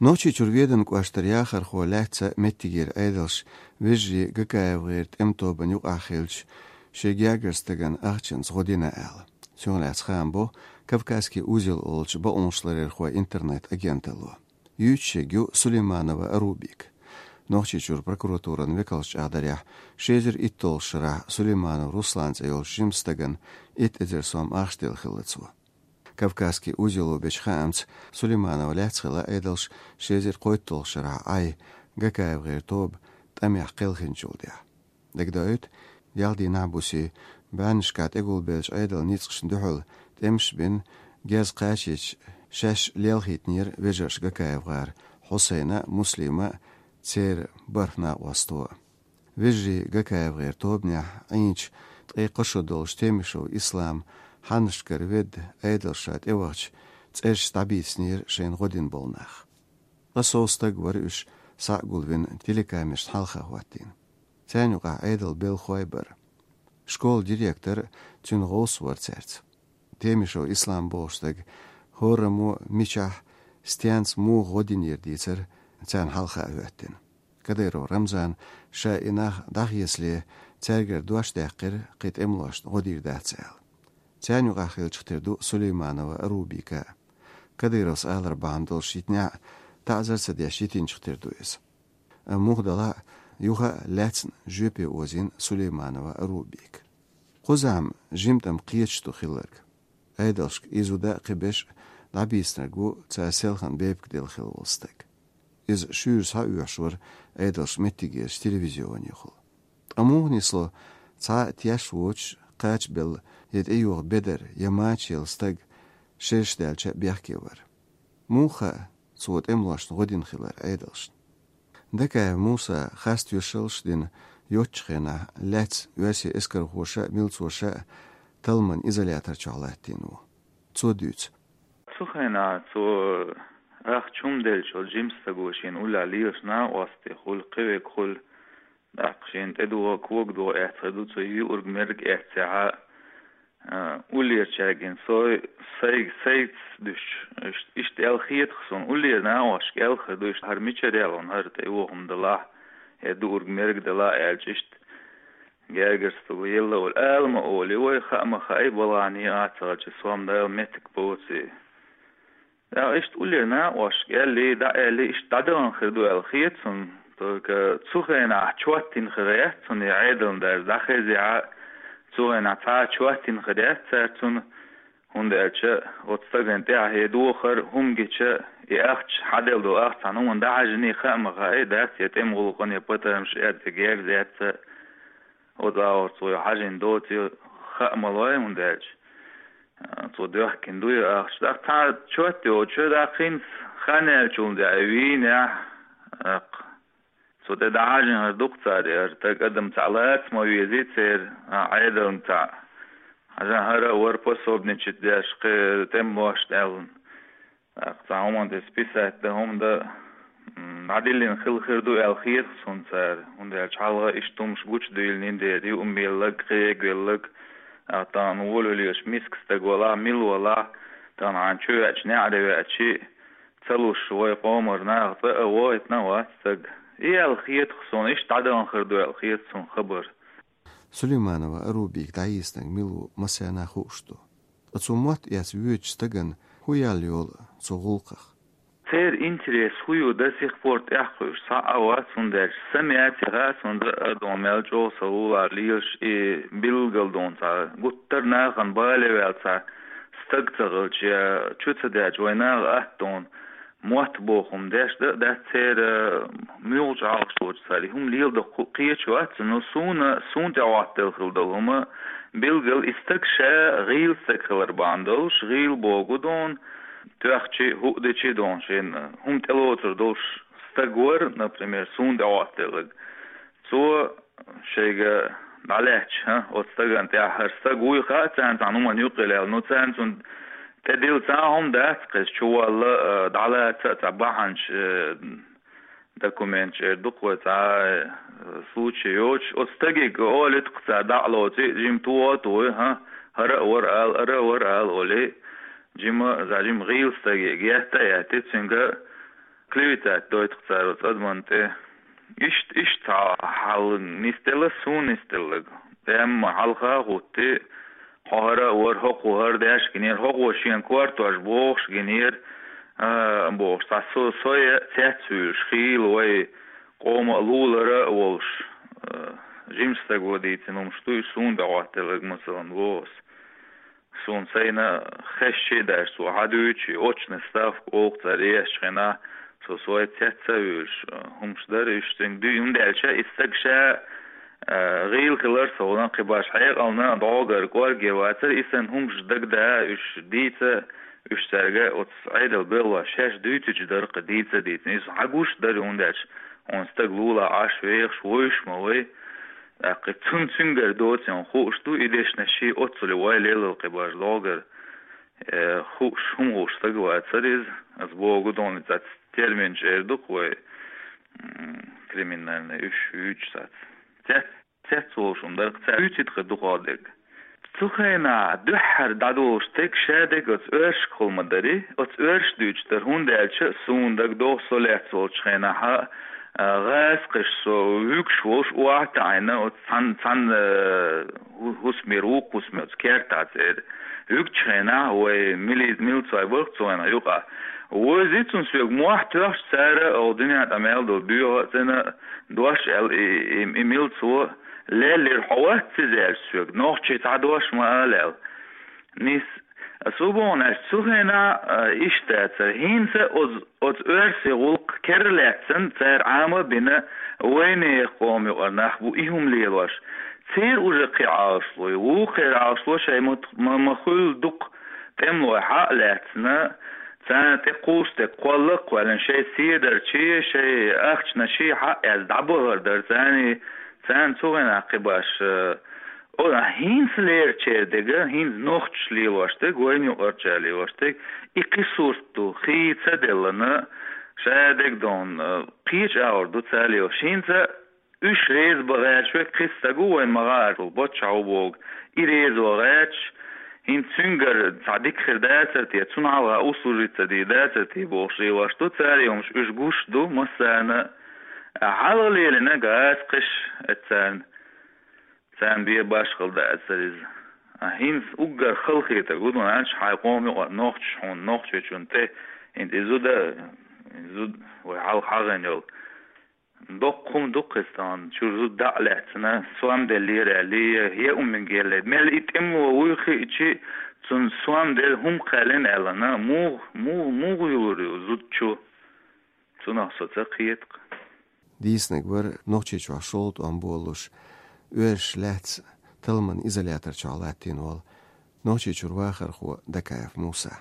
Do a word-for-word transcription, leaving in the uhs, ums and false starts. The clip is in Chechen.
Нохчийчуьра Веданан кӀоштара яхархо лаьцна меттигера Ӏедалш вежарий ГКФ-гӀеран тӀеман тобанна юкъахь хилча, шен гергара стагана ахчанца гӀо дина аьлла. Цунах лаьцна хаам бо «Кавказский узел» олучу бакъонашларъярхойн интернет-агенталло. Юьйцуш ерг ю Сулейманова Арубика. Нохчийчуьра прокуратуран векалша чӀагӀдарехь, ши эзар итталгӀачу шарахь Сулейманов Руслан цӀе йолчу жимачу стагана итт эзар сом ахча делла хилла цо. «Кавказский узело» бечу хаамца, Сулейманова лаьцна хилла Ӏедалш ши эзар кхойтталгӀачу шарахь Ӏай ГКФ-гӀеран тоба тӀамехь кхелхинчул тӀаьхьа. Дагадоуьйту, ялх дийнахь буьйса бӀеннашкахь тӀегулбеллачу Ӏедалан ницкъашна дуьхьал тӀемаш бина, герз кхачийча, шаьш лелхийтинера вежарша ГКФ-гӀар Хьусайна а, Муслима а, церан бархӀ накъосто а. Вежарий ГКФ-гӀеран тобанехь Ӏийначу, ткъе кхо шо долчу Темишев Ислам, Хьаннашкара Веда Ӏедалша тӀевахча, цӀерашца дӀабийцинера шайна гӀо дина болу нах. Ткъа сов стаг вара уьш схьа а гулвина, телекамерашна хьалха хӀоттийна. Царна юкъахь Ӏедалан белхалой бара. Школан директор а, цуьнан гӀовс а вара цаьрца. Темишев Ислам бохучу стага хӀораммо, мичахь, стенца, муха гӀо динера дийцира царна хьалха а хӀоьттина. Кадыров Рамзана ша и нах дӀахецале, цаьргара дош даьккхира, кхин тӀемалошна гӀо дийр дац аьлла. Царна юкъахь хиллачух тера ду Сулейманова Арубика а. Кадыровс алар бахьана долуш йитинехь а, таӀзар а ца деш йитинчух тера ду иза. Амма муха делахь а, юха а лаьцна жоьпе озийна Сулейманова Арубика. Кхузахь-м жимма тӀам кхеташ ду хилларг. Ӏедалшка и зуда а, кхин берш а дӀабийцинарг ву цара селхана бепиг делла хилла волу стаг. Иза шуьйра схьаоьхуш вара Ӏедалша меттигерчу телевизионехула. Ткъа муха нисло цхьа а теш воцуш кхачабелла, я тӀейогӀу бедар, я мача елла стаг шераш даьлча а бехке вар? Муха хаьа, цо тӀемалошна гӀо дина хилар Ӏедалшна? Дакаев Муса хас тоьшаллаш а дина, йоццачу хенахь лаьцна оьрсийн эскархоша а, милцоша а талламан изолятор чохь латтийна ву. Цо дуьйцу. Цу хенахь цо ахча хӀума делча, жима стаг ву, шена уллехь лелаш накъостий хуьлу, кхин верг хуьлу, тӀаккха шена тӀедогӀу, когадогӀу эцна хир ду, цо юург-мерг эццехь а, а, уллерчаьрга со, сайга, сайца дуьсуш, иш-, иштта аьлла хета-кх суна, уллера накъосташка аьлла хир ду, иштта хӀара мичара яьлла, хӀара тӀе вохам далахь, я дуург-мерг далахь аьлча, иштта гергара стаг елла а волу, ала ма олий вай, хаа ма хаий, балхане а ца хилча, сом Дала меттиг боций. ТӀаккха иштта уллера накъосташка аьллий, дӀааьллий, иштта дӀадахана хир ду аьлла хета суна. Только цу хенахь чот йина хир яц цунна, и Ӏедална даже дӀахезехь а, цу хенахь цхьа а чот йина хир яц цара цунна, хӀунда аьлча оцу стагана тӀаьхье дохар, хӀума гича, и ахча, хьаделла долу ахча цхьана хӀуманна дӀахьаьжний, хаа ма хаий, дац, я тӀеман гӀуллакхана, я патармаш эрца, я герз эцна, оцу агӀор цо хьаьжна доций, хаа ма лой, хӀунда аьлча цо доьхкина ду и ахча. ТӀаккха цхьа чот йоцуш, тӀаккха хӀинца хан яьлчул тӀаьхьа вийнехь, тӀаккха цо тӀе дӀахьаьжна хир ду-кх цара, и хӀара стаг, адам цхьаъ лаца ма везий церан, а, Ӏедална цхьаъ. Хьажа, хӀара а вара пособничать деш кхин тӀемалошна аьлла. ТӀаккха цхьа хӀуманна тӀе списать дан хӀума дан, м, дӀадиллина хилла хир ду аьлла хета-кх суна цара, хӀунда аьлча хьалха иштта хӀумнаш гучудуьйлина дера, юург-мелларг, кхиверг-велларг, а, тахана волавелла миска стаг валахь, мила валахь, тахана хьайна чу веача, неӀаре веача, ца луш вай къомара наха цӀа а войтина а вац стаг. И аьлла хета-кх суна, иштта дӀадахана хир ду аьлла хета суна хабар. Сулейманова Арубика дӀайийцинарг мила ву массарна а хууш ду. Ткъа цо мотт эцна воьдучу стагана хӀун яьлла йолу цу гӀуллакхах? Церан интерес хӀун ю до сих пор тӀекхуьуш цхьа а вац, хӀунда аьлча са меца хаьа суна, а, дон мел чӀогӀа сан лулахь лелаш и билггал дон цхьа гуттар а нахана бале ваьлла цхьа стаг ца хилча, я чу ца даьлча вайн наха атта дон мотт боху хӀума деш дан а дац церан, муьлхачу хьалхашкахь цара и хӀума леладо кху-, кхеташ вац, но суна, суна тӀе хӀоттаделла хилла долу хӀума, билггал и стаг ша гӀийла стаг хилар бахьана долуш, гӀийла богу дон, тоьхчи, хӀуъ дичи дон, шена хӀума тӀелоцур долуш стаг вара, например, суна тӀе хӀоттаделларг. Цо шайга дӀалаьтташ, хӀа, оцу стагана тӀехь хӀара стаг вуй хаьа царна, цхьана хӀуманна юккъе лелла. Ну, царна цунна тӀедилла цхьа а хӀума дац, кхеза чу валла, а, дӀалаца а цхьа бахьанаш, а, документаш эр ду-кх вай, цхьа а, а, случай йоцуш. Оцу стаге олуьйту-кх цара дӀа а лоций, жима туху а тухий, хӀа, хӀара а вара ала, ара а вара ала олий, жима, за жима гӀийла стаге етта а етти, цуьнга Клеветать дойту цара оцу адамна тӀе. Иштта, иштта цхьа хьал нисделла, суна нисделларг. Амма хьалха а хӀуттий, хьо хӀара а вара, хӀокхо хӀара деш гинера, хӀокхо шена кортош бохуш гинера, а, бохуш. Цхьа со, со я цецвуьйлуш хийла вай къоман а лулара а волуш, а, жима стага дийцина хӀумнаш ду, и суна тӀе хӀоттаелларг, масалан, боху ас. Суна сайна хезча а даьлча, цо хьан дуьйцу, и очная ставка олу цара ешчу хенахь, цо сой цец а вуьйлуш, хӀумнаш дара уьш цуьнга дуьйна, хӀунда аьлча и стаг ша, а, гӀийла хилар ца хуьлу, кхин баш хьекъална дӀогара кӀорге вацара, и санна хӀумнаш дагадаа уьш дийца, уьш цаьрга оцу Ӏедал белхалой шаьш дуьйцучу дара кхин дийца а дийцина. Иза хьан гуш дара, хӀунда аьлча хьуна стаг лулахь Ӏаш вехаш вуьйш ма вай. ТӀаккха цунна цуьнгара доцийна хууш ду, и дешнаш ший оццуле вай лелла кхин баш дӀогара, э, хууш, хӀума хууш стаг вацара иза. Ас боху дона цац терминаш эр ду-кх вай, м, криминальный уьш юьйцуш цац. Цец, цец волуш хӀума дара, цаьрца юьйцийта кхин дукха дерг. Цу хенахь дуьххьара дӀадолуш стаг ша дерг оцу оьрсашкахула ма дарий, оцу оьрсаша дуьйцуш дара, хӀунда аьлча суна дагадогӀу со лаьцна волчу хенахь, а, гӀазкхаша со вуьгуш волуш охьа а таӀийна, оцу цхьана, цхьана, а, хӀу-, хӀусамера, вукху хӀусаме оцу кертахь цӀера. Вуьгучу хенахь вай мили-, милцой бара-кх цу хенахь юкъахь. Вовзий цунна соьга мохь тоьхча цара, оха дуьнен тӀе мел долу боьха а цӀена, дош аьлла и, и, и милцо, леллера, хьо вац иза аьлча соьга, нохчийн цхьа дош ма ала аьлла. Нийса, ас хӀун боху аьлча, цу хенахь, а, иштта дацара. ХӀинца оцу, оцу оьрсийн гӀуллакх керла лаьцна цара Ӏама а бина, вайнехан къоман юкъара нах бу и хӀума лелош. Церан уже кхин Ӏалашло ю, вукхеран Ӏалашло шайн ма, ма, ма хуьллу дукха тӀемалой хьа а лаьцна, царна тӀе кхуссу дерг кхолла а кхоьллина, шайн седарчий, шайн ахчанаший хьа а эцна дӀабахар дара царний, царна цу хенахь кхин баш, э, о, хӀинца лерачеран дерг, хӀинца нохчаша лелош дерг, вайна юкъарчара лелош дерг, и кхин сурт ду, хийца а деллина, ша дерг дона, э, кхечу агӀор ду цара лелош. ХӀинца уьш реза бан гӀерташ верг кхин стаг ву вайна ма-гӀарта, паччахь ву бохург, и реза ван гӀерташ, хӀинца цуьнгара цхьа дика хир дацара те, цунна хьалха услужить ца дийр дацара те бохуш лелош ду цара и хӀумнаш, уьш гуш ду массарна а. Хьалха лелийнарг гӀазкхаша, эцарна, царна бен башхалла дацара иза. А хӀинца уггар халахетарг хӀун ду аьлча, хьайн къоман юкъара нохчаша хьуна, Нохчийчунна тӀе, хӀинца и зуда, и зуда вай хьалха хьахийна йолу. Доккха хӀума ду-кх иза тахана, чуьра зуда дӀа а лаьцна, сом деллера аьлла, я хӀуманиг елла. Мел и тӀемало вуй хиъча, цунна сом делла хӀума кхаьллина аьлла, муха, муха, муха юлур ю зуда чу? Цунах со ца кхета-кх. Дийцинарг вара Нохчийчохь шолгӀа тӀом болалуш, оьрсаша лаьцна талламан изолятор чохь латтийна волу Нохчийчуьра вахархо Дакаев Муса.